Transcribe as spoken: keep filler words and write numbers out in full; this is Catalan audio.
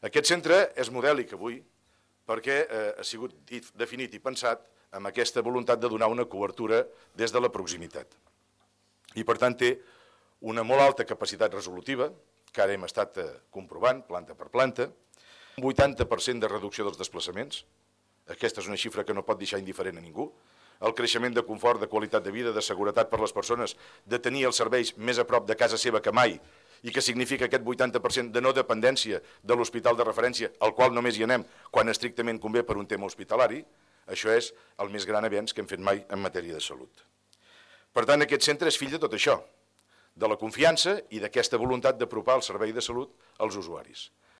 Aquest centre és modèlic avui perquè ha sigut definit i pensat amb aquesta voluntat de donar una cobertura des de la proximitat. I per tant té una molt alta capacitat resolutiva, que ara hem estat comprovant planta per planta, un vuitanta per cent de reducció dels desplaçaments, aquesta és una xifra que no pot deixar indiferent a ningú, el creixement de confort, de qualitat de vida, de seguretat per a les persones, de tenir els serveis més a prop de casa seva que mai, i que significa aquest vuitanta per cent de no dependència de l'hospital de referència, al qual només hi anem quan estrictament convé per un tema hospitalari, això és el més gran avenç que hem fet mai en matèria de salut. Per tant, aquest centre és fill de tot això, de la confiança i d'aquesta voluntat d'apropar el servei de salut als usuaris.